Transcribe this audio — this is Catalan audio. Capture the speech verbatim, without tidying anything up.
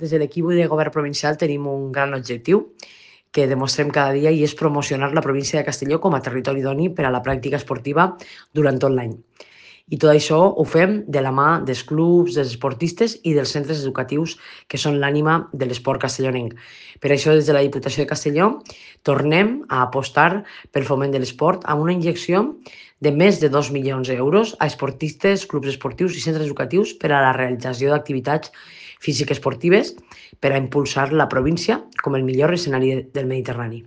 Des de l'equip de govern provincial tenim un gran objectiu que demostrem cada dia i és promocionar la província de Castelló com a territori idoni per a la pràctica esportiva durant tot l'any. I tot això ho fem de la mà dels clubs, dels esportistes i dels centres educatius que són l'ànima de l'esport castellonenc. Per això, des de la Diputació de Castelló, tornem a apostar pel foment de l'esport amb una injecció de més de dos milions d'euros a esportistes, clubs esportius i centres educatius per a la realització d'activitats físiques esportives per a impulsar la província com el millor escenari del Mediterrani.